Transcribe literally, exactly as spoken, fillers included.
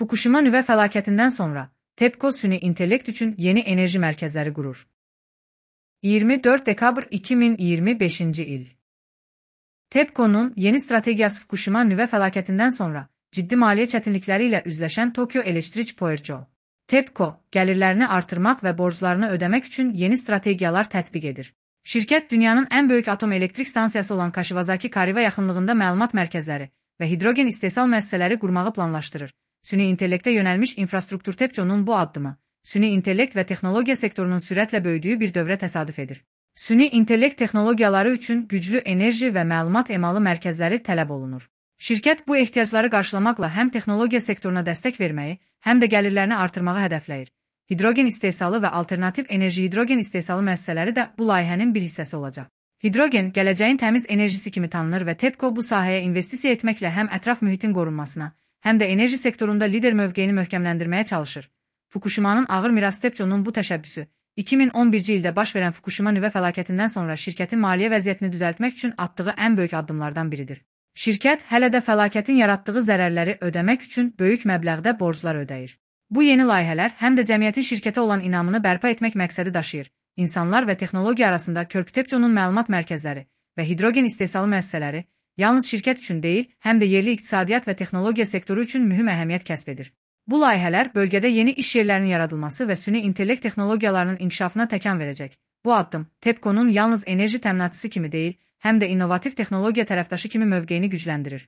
Fukushima nüvə fəlakətindən sonra TEPCO süni intellekt üçün yeni enerji mərkəzləri qurur. iyirmi dörd dekabr iki min iyirmi beşinci il. TEPCO'nun yeni strategiyası Fukushima nüvə fəlakətindən sonra ciddi maliyyə çətinlikləri ilə üzləşən Tokyo Electric Power. TEPCO, gəlirlərini artırmaq və borclarını ödəmək üçün yeni strategiyalar tətbiq edir. Şirkət dünyanın ən böyük atom elektrik stansiyası olan Kashiwazaki Kariwa yaxınlığında məlumat mərkəzləri və hidrogen istehsal müəssisələri qurmağı planlaşdırır. Süni intellektə yönəlmiş infrastruktur TEPCO'nun bu addımı, süni intellekt və texnologiya sektorunun sürətlə böyüdüyü bir dövrə təsadüf edir. Süni intellekt texnologiyaları üçün güclü enerji və məlumat emalı mərkəzləri tələb olunur. Şirkət bu ehtiyacları qarşılamaqla həm texnologiya sektoruna dəstək verməyi, həm də gəlirlərini artırmağı hədəfləyir. Hidrogen istehsalı və alternativ enerji hidrogen istehsalı müəssisələri də bu layihənin bir hissəsi olacaq. Hidrogen gələcəyin təmiz enerjisi kimi tanınır və TEPCO bu sahəyə investisiya etməklə həm ətraf mühitin qorunmasına, həm də enerji sektorunda lider mövqeyini möhkəmləndirməyə çalışır. Fukushimanın ağır mirası TEPCO'nun bu təşəbbüsü, iki min on birinci ildə baş verən Fukushima nüvə fəlakətindən sonra şirkətin maliyyə vəziyyətini düzəltmək üçün atdığı ən böyük addımlardan biridir. Şirkət hələ də fəlakətin yaratdığı zərərləri ödəmək üçün böyük məbləğdə borclar ödəyir. Bu yeni layihələr həm də cəmiyyətin şirkətə olan inamını bərpa etmək məqsədi daşıyır. İnsanlar və texnologiya arasında körpü TEPCO'nun məlumat mərkəzləri və hidrogen istehsalı müəssisələri yalnız şirkət üçün deyil, həm də yerli iqtisadiyyat və texnologiya sektoru üçün mühüm əhəmiyyət kəsb edir. Bu layihələr bölgədə yeni iş yerlərinin yaradılması və süni intellekt texnologiyalarının inkişafına təkan verəcək. Bu addım TEPCO'nun yalnız enerji təminatıcısı kimi deyil, həm də innovativ texnologiya tərəfdaşı kimi mövqeyini gücləndirir.